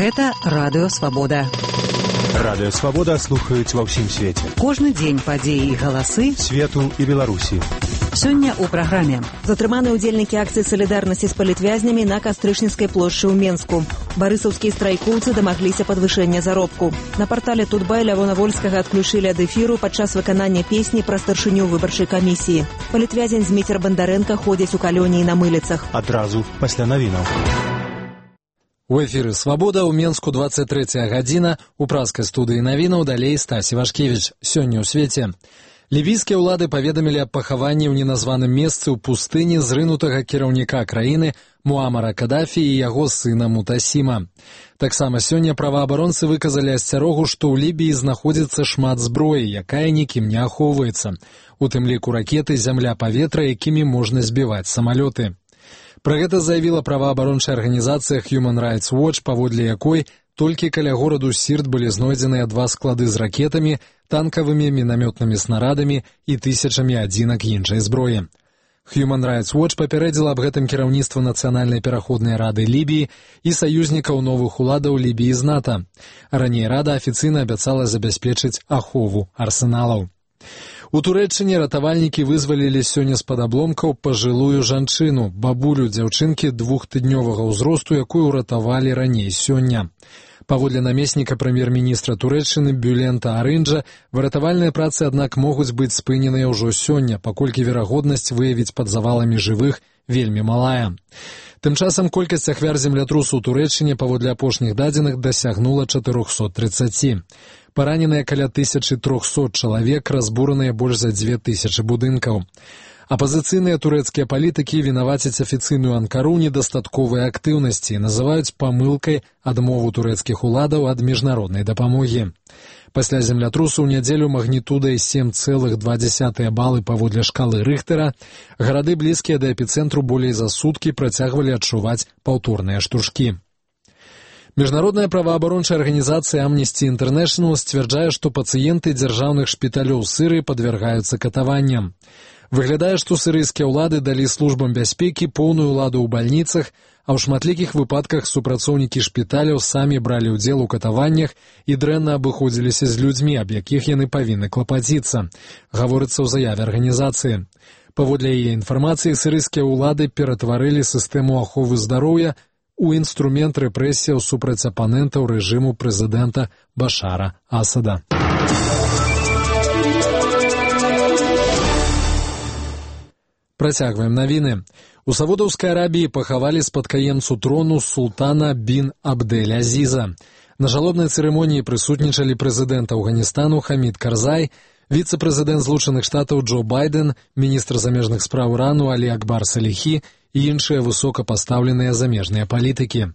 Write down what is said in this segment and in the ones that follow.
Гэта Радыё Свабода. Радыё Свабода слухаюць ва ўсім свеце. Кожны дзень падзеі і галасы свету і Беларусі. Сёння ў праграме. Затрыманы ўдзельнікі акцыі салідарнасці з палітвязнямі на Кастрычніцкай плошчы ў Менску. Барысаўскія страйкоўцы дамагліся падвышэння заробку. На партале Тутбай Лявона Вольскага адключылі ад эфіру падчас выканання песні пра старшыню выбарчай камісіі. Палітвязень Зміцер Бандарэнка ходзіць у калоніі на мыліцах. Адразу пасля навінаў. У эфіры «Свабода» ў Менску 23 гадзіна. У праскай студыі навінаў далей Стасі Вашкевіч. Сёння ў свеце. Лібійскія ўлады паведамілі аб пахаванні ў неназваным месцы ў пустыні зрынутага кіраўніка краіны Муамара Кадафі і яго сына Мутасіма. Таксама сёння праваабаронцы выказалі асцярогу, што ў Лібіі знаходзіцца шмат зброі, якая нікім не ахоўваецца. У тым ліку ракеты, зямля, паветра, якімі можна збіваць самалёты. Пра гэта заявіла праваабарончая арганізацыя Human Rights Watch, паводле якой толькі каля гораду Сірт былі знойдзеныя 2 склады з ракетамі, танкавымі, мінамётнымі снарадамі і тысячамі адзінак іншай зброі. Human Rights Watch папярэдзіла аб гэтым кіраўніцтва Нацыянальнай пераходнай рады Лібіі і саюзнікаў новых уладаў Лібіі з НАТО. Раней рада афіцыйна абяцала забяспечыць ахову арсеналаў. У Турэччыне ратавальнікі вызвалілі сёння з-пад абломкаў пажылую жанчыну, бабулю дзяўчынкі 2-тыднёвага ўзросту, якую ўратавалі раней сёння. Паводле намесніка прэм'ер-міністра Турэччыны Бюлента Арынджа, выратавальныя працы, аднак, могуць быць спыненыя ўжо сёння, паколькі верагоднасць выявіць пад заваламі жывых вельмі малая. Тым часам колькасць ахвяр землятрусу ў Турэччыне паводле апошніх дадзеных дасягнула 430. Параненыя каля 1300 чалавек, разбураныя больш за 2000 будынкаў. Апазіцыйныя турэцкія палітыкі вінавацяць афіцыйную Анкару недастатковай актыўнасці і называюць памылкай адмову турэцкіх уладаў ад міжнароднай дапамогі. Пасля землятрусу ў нядзелю магнітудай 7,2 балы паводле шкалы Рыхтера гарады, блізкія да эпіцэнтру, болей за суткі працягвалі адчуваць паўторныя штуршкі. Міжнародная праваабарончая арганізацыя Amnesty International сцвярджае, што пацыенты дзяржаўных шпіталёў Сырыі падвяргаюцца катаванням. Выглядае, што сірыйскія ўлады далі службам бяспекі поўную ўладу ў бальніцах, а ў шматлікіх выпадках супрацоўнікі шпіталяў самі бралі ўдзел у катаваннях і дрэнна абыходзіліся з людзьмі, аб якіх яны павінны клапаціцца, гаворыцца ў заяве арганізацыі. Паводле яе інфармацыі, сірыйскія ўлады ператварылі сістэму аховы здароўя у інструмент рэпрэсіяў супраць апанентаў рэжыму прэзідэнта Башара Асада. Працягваем навіны. У Саудаўскай Арабіі пахавалі спадкаемцу трону султана бін Абдель-Азіза. На жалобнай цырымоніі прысутнічалі прэзідэнт Афганістану Хамід Карзай, віцэ-прэзідэнт Злучаных Штатаў Джо Байден, міністр замежных спраў Ірану Алі Акбар Саліхі і іншыя высокапастаўленыя замежныя палітыкі.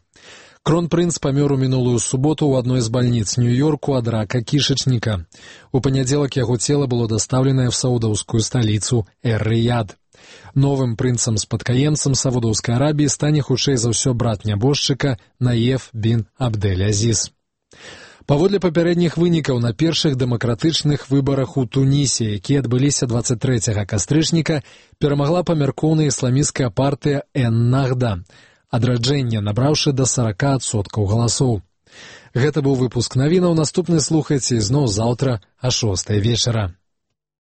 Кронпрынц памёр у мінулую суботу ў адной з бальніц Нью-Йорку ад рака кішачніка. У панядзелак яго цела было дастаўленае ў саудаўскую сталіцу Эр-Рыяд. Новым прынцам-спадкаемцам Саудаўскай Арабіі стане хутчэй за ўсё брат нябожчыка Наеф бін Абдель-Азіз. Паводле папярэдніх вынікаў, на першых дэмакратычных выбарах у Тунісе, якія адбыліся 23 кастрычніка, перамагла памяркоўная ісламісцкая партыя Эн-Нахда, адраджэнне, набраўшы да 40% галасоў. Гэта быў выпуск навінаў. Наступны слухайце ізноў заўтра а 6 вечара.